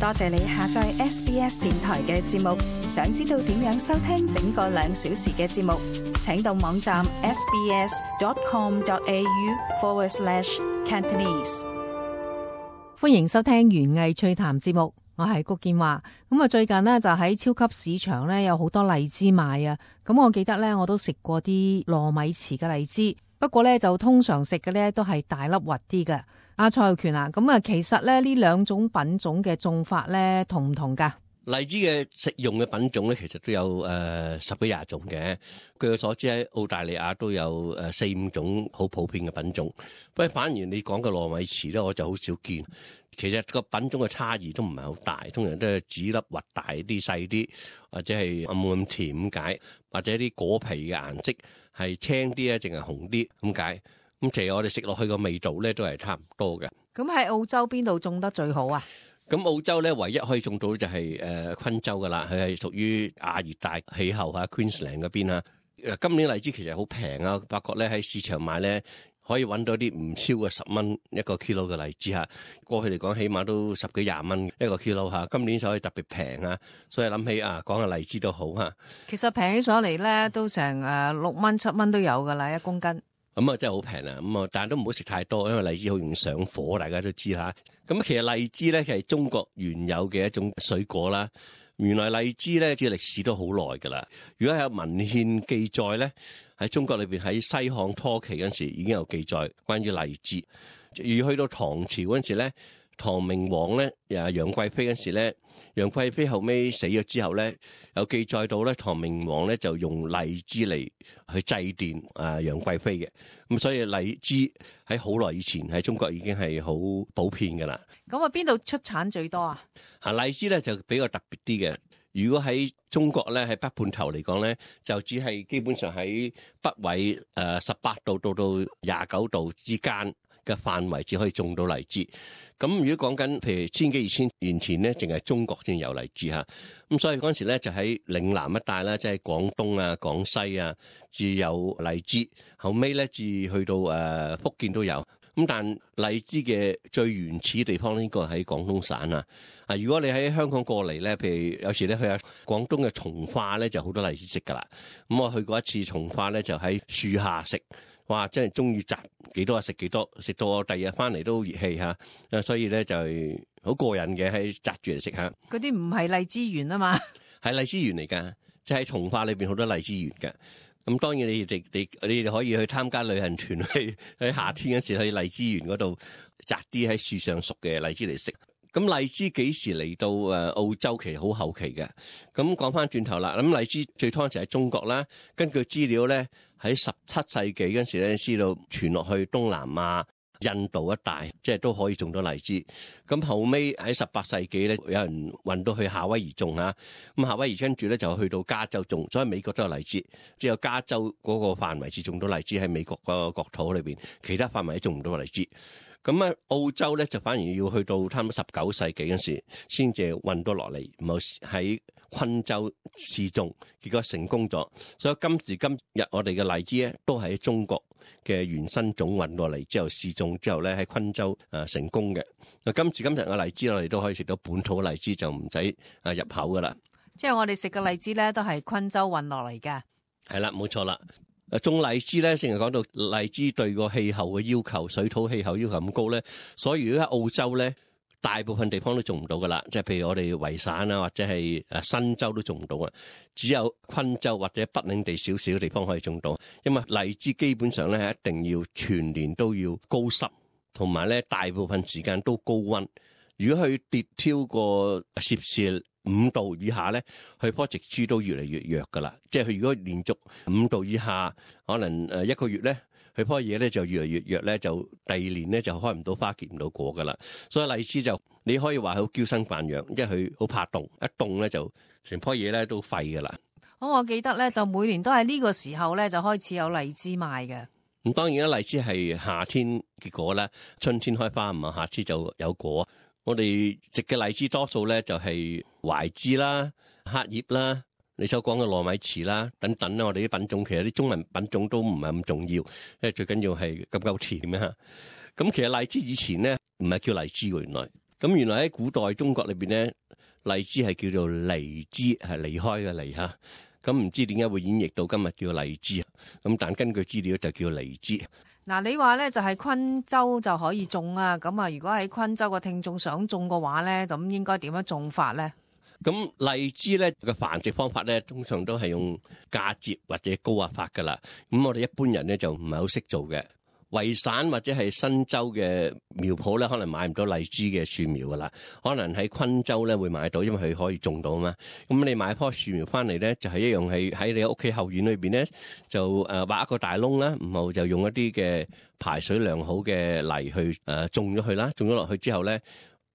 多謝你下載 SBS 電台嘅節目。想知道點樣收聽整個2小時嘅節目，請到網站 sbs.com.au/Cantonese。歡迎收聽園藝趣談節目，我係谷建華。咁啊，最近呢，就喺超級市場呢有好多荔枝賣啊。咁我記得呢，我都食過啲糯米糍嘅荔枝，不過呢，就通常食嘅呢都係大粒核啲嘅。阿蔡浩權啊，咁啊，其實咧呢兩種品種嘅種法咧同唔同噶？荔枝嘅食用嘅品種咧，其實都有10幾20種嘅。據我所知喺澳大利亞都有4、5種好普遍嘅品種。不過反而你講嘅糯米糍咧，我就好少見。其實個品種嘅差異都唔係好大，通常都係籽粒核大啲、細啲，或者係冇咁甜咁解，或者啲果皮嘅顏色係青啲啊，淨係紅啲咁解。咁其實我哋食落去個味道咧都係差唔多嘅。咁喺澳洲邊度種得最好啊？咁澳洲咧唯一可以種到就係昆州噶啦，佢係屬於亞熱帶氣候嚇 Queensland 嗰邊啊。今年荔枝其實好平啊，發覺咧喺市場買咧可以揾到啲唔超過10蚊一個 kilo 嘅荔枝嚇。過去嚟講起碼都10幾20蚊一個 kilo 嚇。今年所以特別平啊，所以諗起講下荔枝都好嚇。其實平起上嚟咧都成6蚊7蚊都有噶啦1公斤。咁啊真係好平啊！咁啊，但係都唔好食太多，因為荔枝好容易上火，大家都知嚇。咁其實荔枝咧係中國原有嘅一種水果啦。原來荔枝咧嘅歷史都好耐㗎啦。如果有文獻記載咧，喺中國裏邊喺西漢初期嗰陣時已經有記載關於荔枝。而去到唐朝嗰陣時咧，唐明皇咧楊貴妃嗰陣時咧，楊貴妃後尾死咗之後咧，有記載到咧，唐明皇咧就用荔枝嚟去祭奠楊貴妃嘅。咁所以荔枝喺好耐以前喺中國已經係好普遍㗎啦。咁啊，邊度出產最多啊？荔枝咧就比較特別啲嘅。如果喺中國咧，喺北半球嚟講咧，就只係基本上喺北緯18度到29度之間嘅範圍只可以種到荔枝。咁如果講緊譬如1000幾2000年前咧，淨係中國先有荔枝嚇。咁所以嗰陣時咧就喺嶺南一帶啦，即係廣東啊、廣西啊，至有荔枝。後尾咧至去到福建都有。咁但荔枝嘅最原始地方呢個喺廣東省啊。如果你喺香港過嚟咧，譬如有時咧去下廣東嘅從化咧，就好多荔枝食噶啦。咁我去過一次從化咧，就喺樹下食。哇！真係中意摘幾多食幾多，食到我第二日翻嚟都熱氣嚇，所以咧就係好過癮嘅，喺摘住嚟食下。嗰啲唔係荔枝園啊嘛，係荔枝園嚟㗎，即係喺從化裏邊好多荔枝園㗎。咁當然你哋可以去參加旅行團去喺夏天嗰時去荔枝園嗰度摘啲喺樹上熟嘅荔枝嚟食。咁荔枝幾時嚟到澳洲？其實好後期嘅。咁講翻轉頭啦，咁荔枝最初就喺中國啦。根據資料咧，喺17世紀嗰陣時咧，知道傳落去東南亞、印度一帶，即係都可以種到荔枝。咁後尾喺18世紀咧，有人運到去夏威夷種嚇。咁夏威夷跟住咧就去到加州種，所以美國都有荔枝。只有加州嗰個範圍至種到荔枝喺美國個國土裏邊，其他範圍都種唔到荔枝。咁澳洲咧就反而要去到差唔多19世紀嗰時先至運到落嚟，唔好喺昆州試種，結果成功咗。所以今時今日我哋嘅荔枝咧都係喺中國嘅原生種運落嚟之後試種之後咧喺昆州成功嘅。今時今日嘅荔枝我哋都可以食到本土荔枝，就唔使入口噶啦。即係我哋食嘅荔枝咧都係昆州運落嚟嘅。係啦，冇錯啦。種荔枝咧，成日講到荔枝對個氣候嘅要求，水土氣候要求咁高咧，所以如果喺澳洲咧，大部分地方都種唔到噶啦。即係譬如我哋維省啊，或者係新州都種唔到啊，只有昆州或者北領地少少嘅地方可以種到。因為荔枝基本上咧係一定要全年都要高濕，同埋咧大部分時間都高溫。如果佢跌超過攝氏5度以下咧，佢棵植株都越嚟越弱噶啦。即係佢如果連續5度以下，可能1個月咧，佢棵嘢咧就越嚟越弱咧，就第2年咧就開唔到花結唔到果噶啦。所以荔枝就你可以話佢好嬌生慣養，因為佢好怕凍，一凍咧就成棵嘢咧都廢噶啦。我記得咧就每年都係呢個時候咧就開始有荔枝賣嘅。咁當然啦，荔枝係夏天結果啦，春天開花，唔係夏天就有果。我哋食嘅荔枝多數咧就係懷枝啦、黑葉啦、你所講嘅糯米糍啦等等啦。我哋啲品種其實啲中文品種都唔係咁重要，因為最緊要係夠甜啊。咁其實荔枝以前咧唔係叫荔枝喎，原來咁原來喺古代中國裏邊咧，荔枝係叫做離枝，係離開嘅離嚇。咁唔知點解會演繹到今日叫荔枝啊？咁但根據資料就叫離枝。嗱，你話咧就係昆州就可以種啊，咁啊，如果喺昆州嘅聽眾想種嘅話咧，咁應該點樣種法咧？咁荔枝咧嘅繁殖方法咧，通常都係用嫁接或者高壓法噶啦。咁我哋一般人咧就唔係好識做嘅。維省或者係新州嘅苗圃咧，可能買唔到荔枝嘅樹苗噶啦，可能喺昆州咧會買到，因為佢可以種到啊嘛。咁你買棵樹苗翻嚟咧，就係一樣係喺你屋企後院裏邊咧，就挖一個大窿啦，然後就用一啲嘅排水良好嘅泥去種咗佢啦，種咗落去之後咧。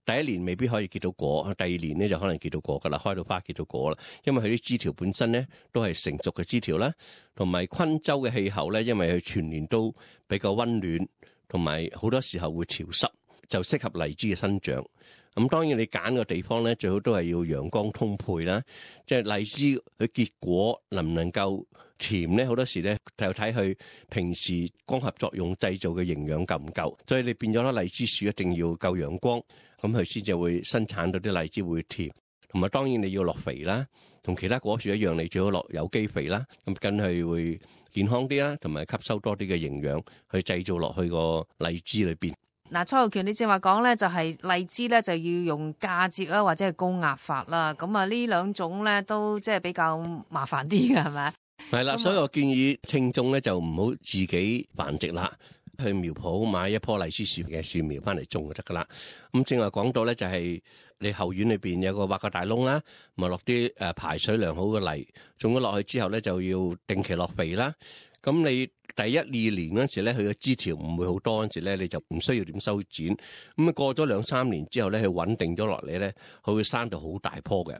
第一年未必可以結到果，第二年咧就可能結到果噶啦，開到花結到果啦。因為佢啲枝條本身咧都係成熟嘅枝條啦，同埋昆州嘅氣候咧，因為佢全年都比較溫暖，同埋好多時候會潮濕，就適合荔枝嘅生長。咁當然你揀個地方咧，最好都係要陽光充沛啦。即係荔枝佢結果能唔能夠甜咧，好多時咧就睇佢平時光合作用製造嘅營養夠唔夠。所以你變咗啦，荔枝樹一定要夠陽光。咁佢先至會生產到啲荔枝會甜，同埋當然你要落肥啦，同其他果樹一樣，你最好落有機肥啦，咁梗係會健康啲啦，同埋吸收多啲嘅營養去製造落去個荔枝裏邊。嗱，蔡浩權，你正話講咧，就係荔枝咧就要用嫁接啦，或者係高壓法啦，咁啊呢兩種咧都即係比較麻煩啲嘅，係咪？係啦，所以我建議聽眾咧就唔好自己繁殖啦。去苗圃買一棵荔枝樹嘅樹苗翻嚟種就得噶啦。咁正話講到咧，就係你後院裏邊有個挖個大窿啦，咪落啲排水良好嘅泥，種咗落去之後咧就要定期落肥啦。咁你第一二年嗰陣時咧，佢嘅枝條唔會好多嗰陣時咧，你就唔需要點修剪。咁啊過咗2-3年之後咧，佢穩定咗落嚟咧，佢會生到好大棵嘅。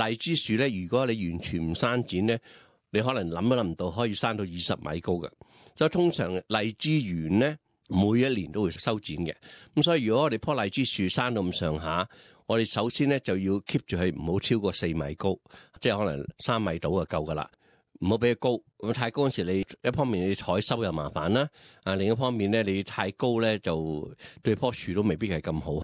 荔枝樹咧，如果你完全唔刪剪咧，你可能諗都諗唔到可以生到20米高嘅。所以通常荔枝園咧，每一年都會修剪嘅。咁所以如果我哋棵荔枝樹生到咁上下，我哋首先咧就要 keep 住佢唔好超過4米高，即係可能3米到就夠噶啦。唔好俾佢高，咁太高嗰時你一方面你採收又麻煩啦，另一方面咧你太高咧就對棵樹都未必係咁好。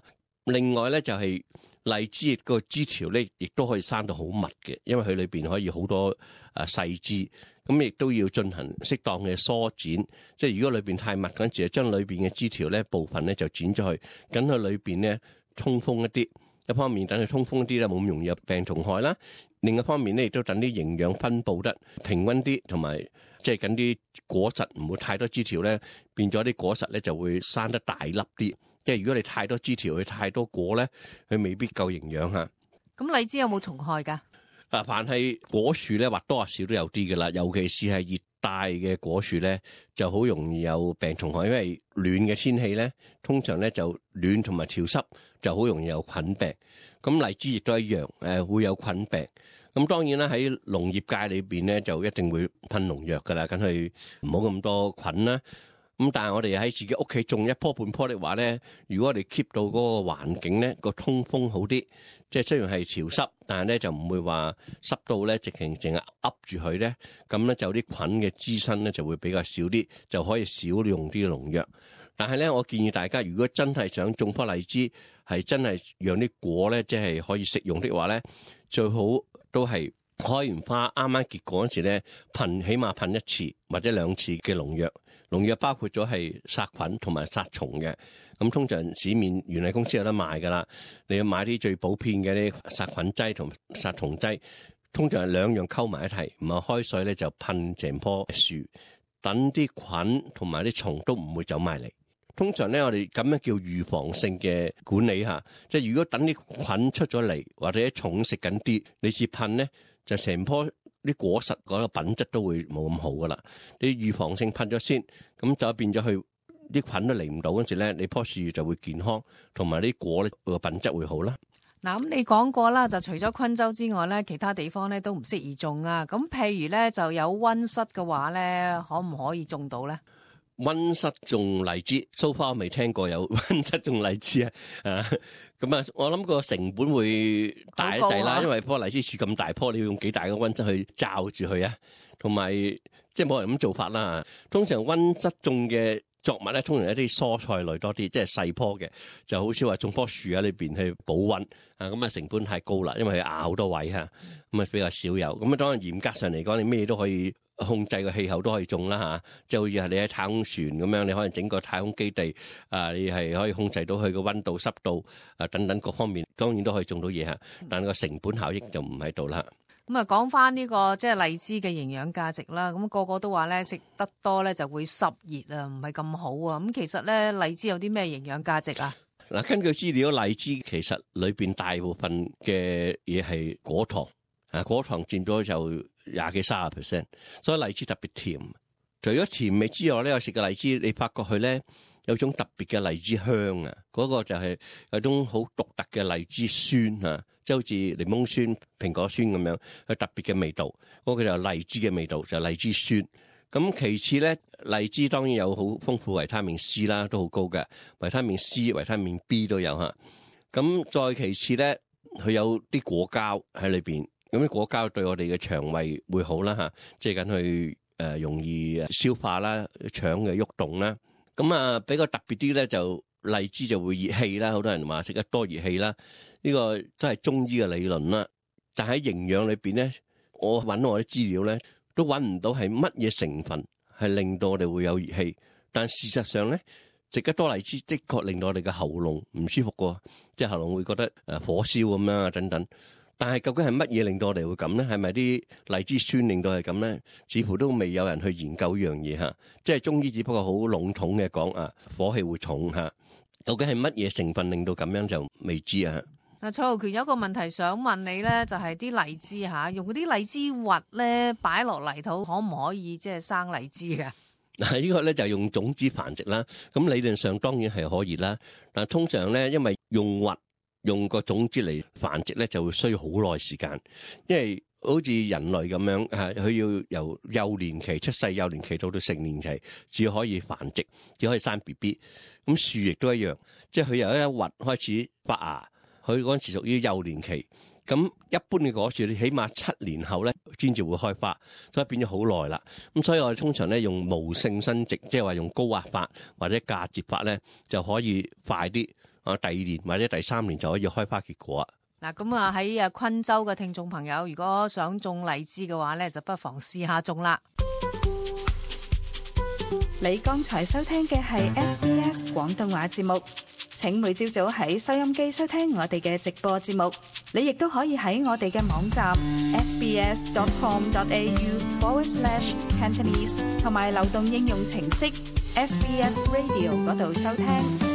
另外咧就係荔枝個枝條咧，亦都可以生到好密嘅，因為佢裏邊可以好多細枝。咁亦都要進行適當嘅梳剪，即係如果裏邊太密嗰陣時，將裏邊嘅枝條咧部分咧就剪咗去，等佢裏邊咧通風一啲。一方面等佢通風啲咧，冇咁容易有病蟲害啦。另一方面咧，亦都等啲營養分佈得平均啲，同埋即係緊啲果實唔會太多枝條咧，變咗啲果實咧就會生得大粒啲。即係如果你太多枝條，佢太多果咧，佢未必夠營養嚇。咁荔枝有冇蟲害㗎？凡係果樹咧，或多或少都有啲嘅啦，尤其是係熱帶嘅果樹咧，就好容易有病蟲害，因為暖嘅天氣咧，通常咧就暖同埋潮濕，就好容易有菌病。咁荔枝亦都一樣，會有菌病。咁當然啦，喺農業界裏邊咧，就一定會噴農藥噶啦，梗係唔好咁多菌啦。咁但係我哋喺自己屋企種一棵半棵的話咧，如果我哋 keep 到嗰個環境咧，個通風好啲，即係雖然係潮濕，但係咧就唔會話濕到咧直情淨係噏住佢咧，咁咧就啲菌嘅滋生咧就會比較少啲，就可以少用啲農藥。但係咧，我建議大家如果真係想種棵荔枝，係真係讓啲果咧即係可以食用的話咧，最好都係開完花啱啱結果嗰時咧，起碼噴1次或者2次嘅農藥。農藥包括咗係殺菌同埋殺蟲嘅，咁通常市面園藝公司有得賣噶啦。你要買啲最普遍嘅啲殺菌劑同殺蟲劑，通常係2樣溝埋一齊，唔係開水咧就噴成棵樹，等啲菌同埋啲蟲都唔會走埋嚟。通常咧我哋咁樣叫預防性嘅管理下，即係如果等啲菌出咗嚟或者啲蟲食緊啲，你至噴咧就成棵啲果實嗰個品質都會冇咁好噶啦。你預防性噴咗先，咁就變咗佢啲菌都嚟唔到嗰時咧，你棵樹就會健康，同埋啲果咧個品質會好啦。嗱，咁你講過啦，就除咗昆州之外咧，其他地方咧都唔適宜種啊。咁譬如咧就有溫室嘅話咧，可唔可以種到咧？溫室種荔枝，so far未聽過有溫室種荔枝啊！咁啊，我諗個成本會大一滯啦，因為棵荔枝樹咁大棵，你要用幾大嘅溫室去罩住佢啊？同埋即係冇人咁做法啦。通常溫室種嘅作物咧，通常一啲蔬菜類多啲，即係細棵嘅，就好少話種棵樹喺裏邊去保溫啊，咁啊成本太高啦，因為佢壓好多位嚇，咁啊比較少有。咁啊當然嚴格上嚟講，你咩都可以控制個氣候都可以種啦嚇，即係好似係你喺太空船咁樣，你可能整個太空基地啊，你係可以控制到佢個溫度、濕度啊等等各方面，當然都可以種到嘢嚇，但係個成本效益就唔喺度啦。咁啊，講翻呢個即係荔枝嘅營養價值啦。咁個個都話咧，食得多咧就會濕熱啊，唔係咁好啊。咁其實咧，荔枝有啲咩營養價值啊？嗱，根據資料，荔枝其實裏邊大部分嘅嘢係果糖啊，果糖佔咗就20-30%，所以荔枝特別甜。除咗甜味之外咧，我食嘅荔枝，你發覺佢咧有種特別嘅荔枝香啊，嗰個就係有種好獨特嘅荔枝酸啊。即係好似檸檬酸、蘋果酸咁樣，有特別嘅味道。嗰個就係荔枝嘅味道，就係荔枝酸。咁其次咧，荔枝當然有好豐富維他命 C 啦，都好高嘅維他命 C、維他命 B 都有嚇。咁再其次咧，佢有啲果膠喺裏邊，咁啲果膠對我哋嘅腸胃會好啦嚇，即係緊去容易消化啦、腸嘅喐動啦。咁啊比較特別啲咧，就荔枝就會熱氣啦，好多人話食得多熱氣啦。呢個都係中醫嘅理論啦，但喺營養裏邊咧，我揾我啲資料咧，都揾唔到係乜嘢成分係令到我哋會有熱氣。但事實上咧，食得多荔枝的確令到我哋嘅喉嚨唔舒服過，即係喉嚨會覺得火燒咁樣啊等等。但係究竟係乜嘢令到我哋會咁咧？係咪啲荔枝酸令到係咁咧？似乎都未有人去研究呢樣嘢嚇。即係中醫只不過好籠統嘅講啊，火氣會重嚇。究竟係乜嘢成分令到咁樣就未知啊。嗱，蔡浩權有一個問題想問你咧，就係啲荔枝嚇，用嗰啲荔枝核咧擺落泥土，可唔可以即係生荔枝㗎？嗱，呢個咧就用種子繁殖啦。咁理論上當然係可以啦。但通常咧，因為用核用個種子嚟繁殖咧，就會需要好耐時間，因為好似人類咁樣嚇，佢要由幼年期出世、幼年期到成年期，至可以繁殖，只可以生 BB。咁樹亦都一樣，即係佢由一核開始發芽。佢嗰陣時屬於幼年期，咁一般嘅果樹你起碼7年後咧先至會開花，所以變咗好耐啦。咁所以我哋通常咧用無性生殖，即係話用高壓法或者嫁接法咧就可以快啲啊，第2年或者第3年就可以開花結果。嗱，咁啊喺昆州嘅聽眾朋友，如果想種荔枝嘅話咧，就不妨試下種啦。你剛才收聽嘅係 SBS 廣東話節目。請每朝早喺收音機收聽我哋嘅直播節目，你亦都可以喺我哋嘅網站 sbs.com.au/Cantonese 同埋流動應用程式 SBS Radio 嗰度收聽。